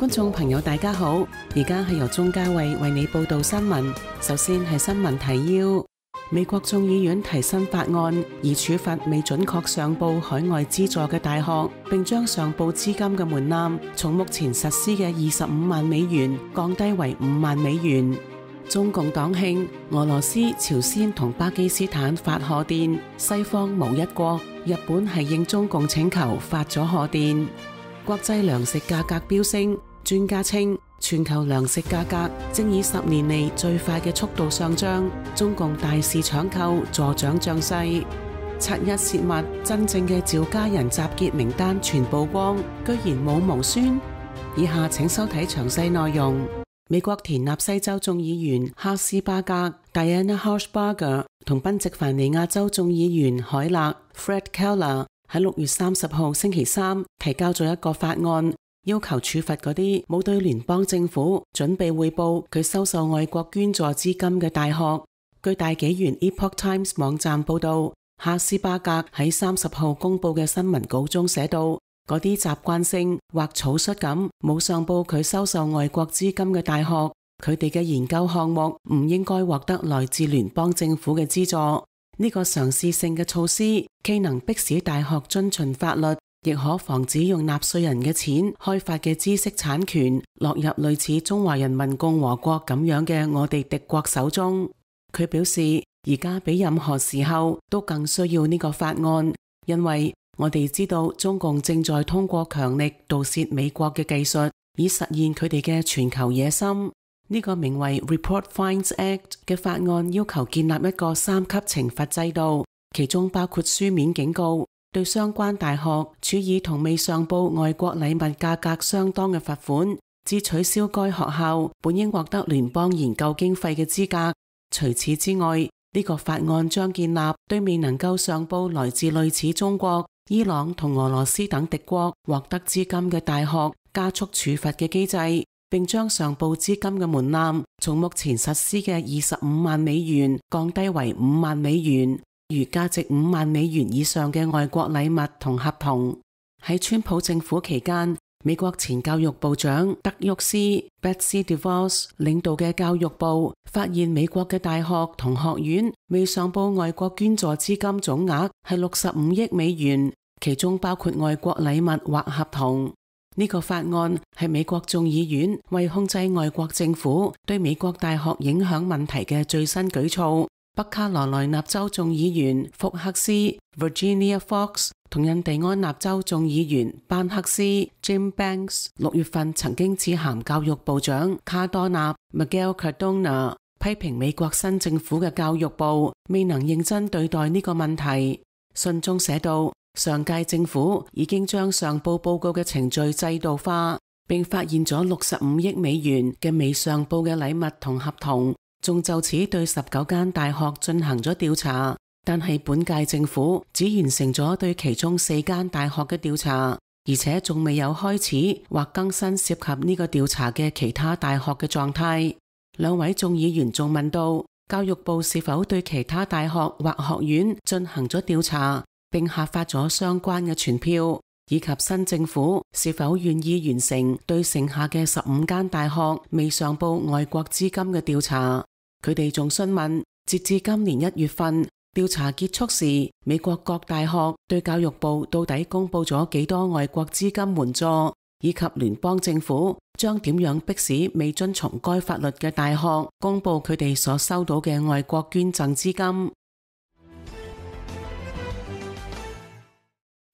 觀眾朋友大家好，而家係由鍾嘉慧為你報道新聞。首先係新聞提要：美國眾議院提新法案，以處罰未準確上報海外資助嘅大學，並將上報資金嘅門檻從目前實施嘅25萬美元降低為5萬美元。中共黨慶俄羅斯、朝鮮同巴基斯坦發賀電，西方無一國，日本係應中共請求發咗賀電。國際糧食價格飆升，專家稱全球糧食價格正以10年嚟最快嘅速度上漲，中共大肆搶購助長漲勢。七一泄密，真正嘅趙家人集結名單全曝光，居然冇毛孫。以下請收睇詳細內容。美國田納西州眾議員哈斯巴格 Diana Harshbarger 同賓夕凡尼亞州眾議員海勒 Fred Keller 喺6月30號星期三提交咗一個法案，要求處罰嗰啲冇對聯邦政府準備匯報佢收受外國捐助資金嘅大學。據大紀元 Epoch Times 網站報道，哈斯巴格喺30號公佈嘅新聞稿中寫道，嗰啲習慣性或草率咁冇上報佢收受外國資金嘅大學，佢哋嘅研究項目唔應該獲得來自聯邦政府嘅資助。呢個嘗試性嘅措施既能迫使大學遵循法律，亦可防止用納稅人嘅錢開發嘅知識產權落入類似中華人民共和國咁樣嘅我哋敵國手中。佢表示，而家比任何時候都更需要呢個法案，因為我哋知道中共正在通過強力盜竊美國嘅技術，以實現佢哋嘅全球野心。呢個名為 Report Fines Act 嘅法案要求建立一個3級懲罰制度，其中包括書面警告，對相關大學處以同未上報外國禮物價格相當嘅罰款，至取消該學校本應獲得聯邦研究經費嘅資格。除此之外，呢個法案將建立對未能夠上報來自類似中國、伊朗同俄羅斯等敵國獲得資金嘅大學加速處罰嘅機制，並將上報資金嘅門檻從目前實施嘅25萬美元降低為5萬美元，如價值5萬美元以上嘅外國禮物同合同。喺川普政府期間，美國前教育部長德沃斯 Betsy DeVos 領導嘅教育部發現美國嘅大學同學院未上報外國捐助資金總額係65億美元，其中包括外國禮物或合同。呢個法案係美國眾議院為控制外國政府對美國大學影響問題嘅最新舉措。北卡羅來納州眾議員福克斯 Virginia Fox 同印第安納州眾議員班克斯 Jim Banks 6月份曾經致函教育部長卡多納 Miguel Cardona， 批評美國新政府嘅教育部未能認真對待呢個問題。信中寫道，上屆政府已經將上報報告嘅程序制度化，並發現咗65億美元嘅未上報嘅禮物同合同，仲就此對19間大學進行咗調查。但係本屆政府只完成咗對其中4間大學嘅調查，而且仲未有開始或更新涉及呢個調查嘅其他大學嘅狀態。兩位眾議員仲問到，教育部是否對其他大學或學院進行咗調查，並下發咗相關嘅傳票，以及新政府是否願意完成對剩下嘅15間大學未上報外國資金嘅調查。佢哋仲詢問，截至今年1月份調查結束時，美國各大學對教育部到底公布咗幾多外國資金援助，以及聯邦政府將點樣迫使未遵從該法律嘅大學公布佢哋所收到嘅外國捐贈資金。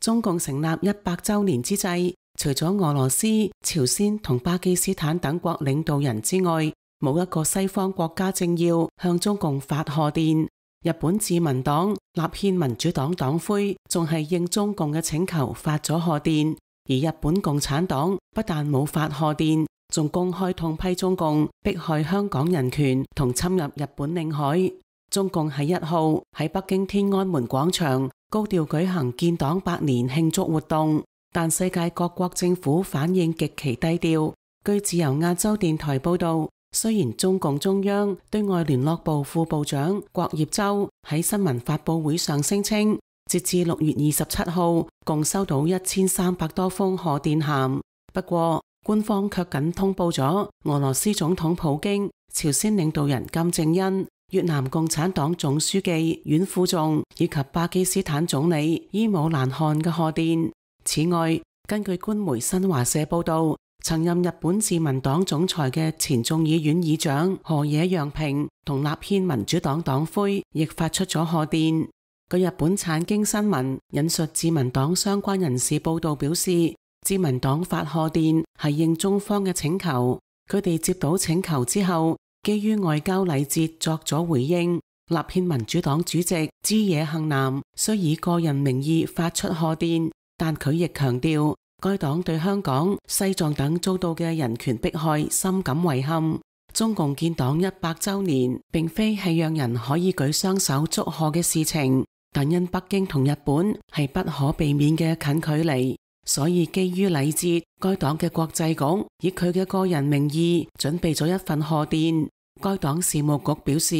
中共成立100週年之際，除咗俄羅斯、朝鮮同巴基斯坦等國領導人之外，冇一個西方國家政要向中共發賀電。日本自民黨、立憲民主黨黨魁仲係應中共嘅請求發咗賀電，而日本共產黨不但冇發賀電，仲公開痛批中共迫害香港人權同侵入日本領海。中共喺1號喺北京天安門廣場高調舉行建黨100年慶祝活動，但世界各國政府反應極其低調。據自由亞洲電台報道，雖然中共中央對外聯絡部副部長郭業洲喺新聞發佈會上聲稱，截至6月27號共收到1300多封賀電函。不過官方卻僅通報咗俄羅斯總統普京、朝鮮領導人金正恩、越南共產黨總書記阮富仲以及巴基斯坦總理伊姆蘭汗嘅賀電。此外，根據官媒新華社報道，曾任日本自民黨總裁嘅前眾議院議長河野洋平同立憲民主黨黨魁亦發出咗賀電。據日本產經新聞引述自民黨相關人士報道表示，自民黨發賀電係應中方嘅請求，佢哋接到請求之後，基於外交禮節作咗回應。立憲民主黨主席枝野幸男雖以個人名義發出賀電，但佢亦強調，該黨對香港、西藏等遭到嘅人權迫害深感遺憾。中共建黨100週年並非係讓人可以舉雙手祝賀嘅事情，但因北京同日本係不可避免嘅近距離，所以基於禮節，該黨嘅國際局以佢嘅個人名義準備咗一份賀電。該黨事務局表示，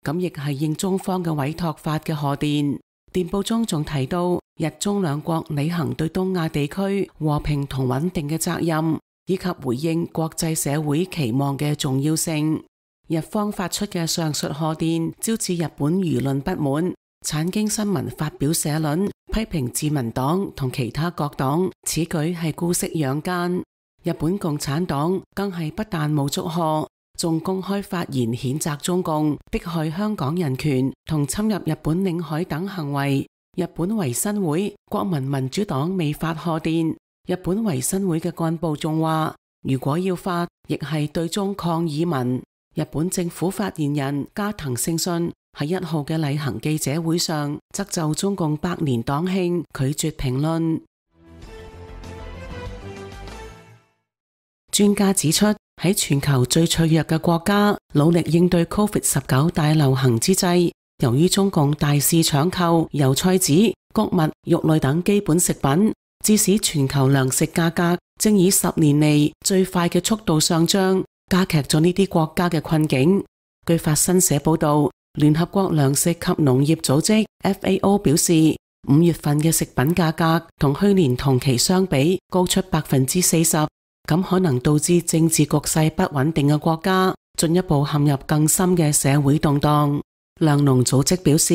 咁亦係應中方嘅委託發嘅賀電。電報中仲提到，日中兩國履行對東亞地區和平同穩定嘅責任，以及回應國際社會期望嘅重要性。日方發出嘅上述賀電招致日本輿論不滿，產經新聞發表社論批評自民黨同其他各黨此舉係姑息養奸。日本共產黨更係不但冇祝賀，仲公開發言譴責中共迫害香港人權同侵入日本領海等行為。日本維新會、國民民主黨未發賀電，日本維新會嘅幹部仲話，如果要發，亦係對中抗議文。日本政府發言人加藤勝信喺1號嘅例行記者會上，則就中共100年黨慶拒絕評論。專家指出，喺全球最脆弱嘅國家努力應對 COVID-19 大流行之際，由於中共大肆搶購油菜籽、穀物、肉類等基本食品，致使全球糧食價格正以10年嚟最快嘅速度上漲，加劇咗呢啲國家嘅困境。據法新社報道，聯合國糧食及農業組織 FAO 表示，5月份嘅食品價格同去年同期相比高出 40%， 咁可能導致政治局勢不穩定嘅國家進一步陷入更深嘅社會動盪。糧農組織表示，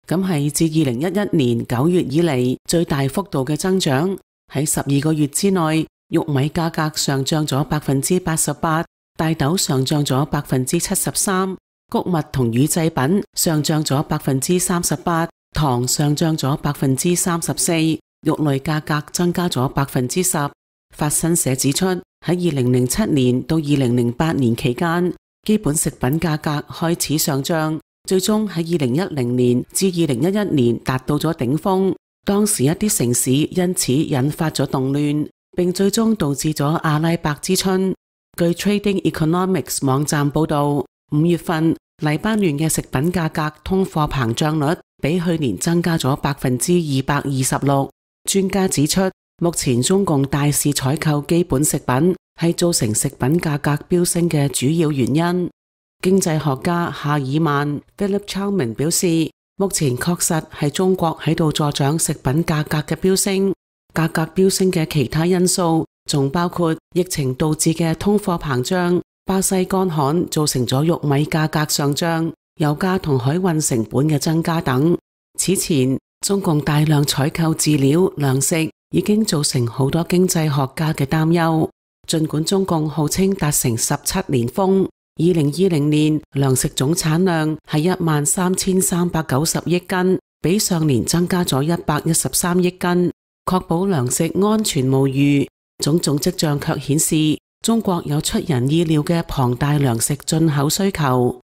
咁係自2011年9月以嚟最大幅度嘅增長。喺12個月之內，玉米價格上漲咗 88%， 大豆上漲咗 73%， 穀物同乳製品上漲咗 38%， 糖上漲咗 34%， 肉類價格增加咗 10%。法新社指出，喺2007年到2008年期間，基本食品價格開始上漲，最終喺2010年至2011年達到咗頂峰。當時一啲城市因此引發咗動亂，並最終導致咗阿拉伯之春。據 Trading Economics 網站報道，5月份黎巴嫩嘅食品價格通貨膨脹率比去年增加咗 226%。專家指出，目前中共大肆採購基本食品係造成食品價格飆升嘅主要原因。經濟學家夏爾曼 Philip Chalman 表示，目前確實係中國喺度助長食品價格嘅飆升。價格飆升嘅其他因素仲包括疫情導致嘅通貨膨脹、巴西乾旱造成咗玉米價格上漲、油價同海運成本嘅增加等。此前，中共大量採購飼料、糧食已經造成好多經濟學家嘅擔憂。儘管中共號稱達成17年峰，2020年糧食總產量係13390億斤，比上年增加咗113億斤，確保糧食安全無虞。種種跡象卻顯示，中國有出人意料嘅龐大糧食進口需求。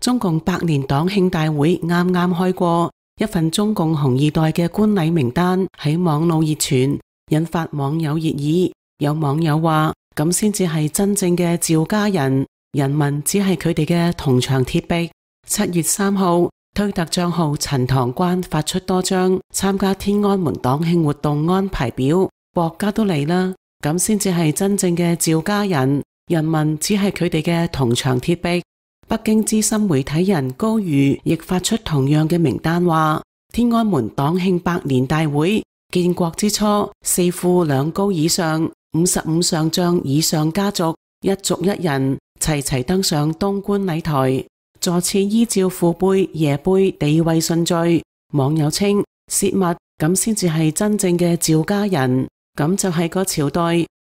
中共100年黨慶大會啱啱開過，一份中共紅二代嘅觀禮名單喺網路熱傳，引發網友熱議。有網友話，咁先至係真正嘅趙家人，人民只係佢哋嘅銅牆鐵壁。7月3號，推特賬號陳塘關發出多張參加天安門黨慶活動安排表，國家都嚟啦，咁先至係真正嘅趙家人，人民只係佢哋嘅銅牆鐵壁。北京資深媒體人高瑜亦發出同樣嘅名單，話天安門黨慶100年大會建國之初，4富2高以上，55上將以上家族，一族一人齊齊登上東觀禮台，座次依照父輩爺輩地位順序。網友稱泄密，咁先至係真正嘅趙家人，咁就係個朝代，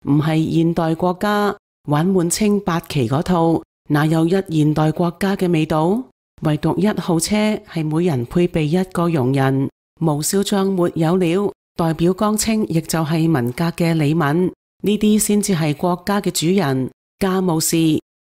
唔係現代國家。玩滿清八旗嗰套，哪有一現代國家嘅味道？唯獨1號車係每人配備1個傭人，無少將沒有了。代表江青亦就係文革嘅李敏，呢啲先至係國家嘅主人。家務事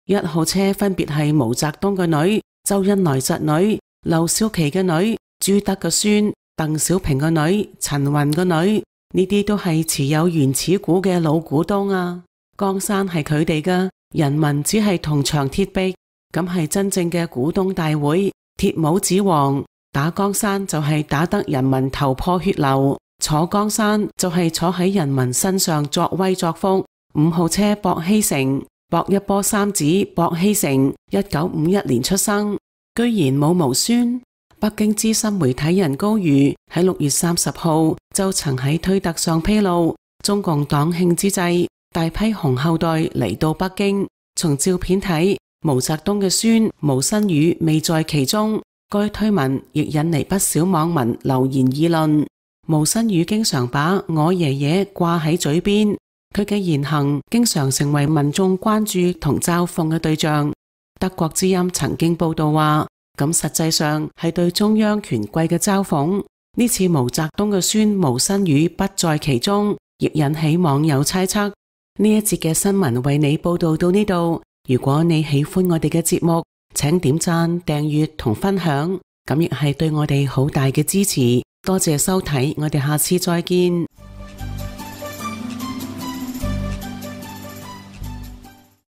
，1號車分別係毛澤東嘅女、周恩來侄女、劉少奇嘅女、朱德嘅孫、鄧小平嘅女、陳雲嘅女，呢啲都係持有原始股嘅老股東啊！江山係佢哋嘅，人民只係銅牆鐵壁，咁係真正嘅股東大會。鐵帽子王打江山就係打得人民頭破血流，坐江山就係坐喺人民身上作威作福。5號車薄熙成，薄一波三子薄熙成，1951年出生，居然冇毛孫。北京資深媒體人高瑜喺6月30號就曾喺推特上披露，中共黨慶之際，大批紅後代嚟到北京。從照片睇，毛澤東嘅孫毛新宇未在其中。該推文亦引嚟不少網民留言議論。毛新宇經常把我爺爺掛喺嘴邊，佢嘅言行經常成為民眾關注同嘲諷嘅對象。德國之音曾經報道話，咁實際上係對中央權貴嘅嘲諷。呢次毛澤東嘅孫毛新宇不在其中，亦引起網友猜測。呢一節嘅新聞為你報道到呢度。如果你喜歡我哋嘅節目，請點讚、訂閱同分享，咁亦係對我哋好大嘅支持。多謝收睇，我哋下次再見。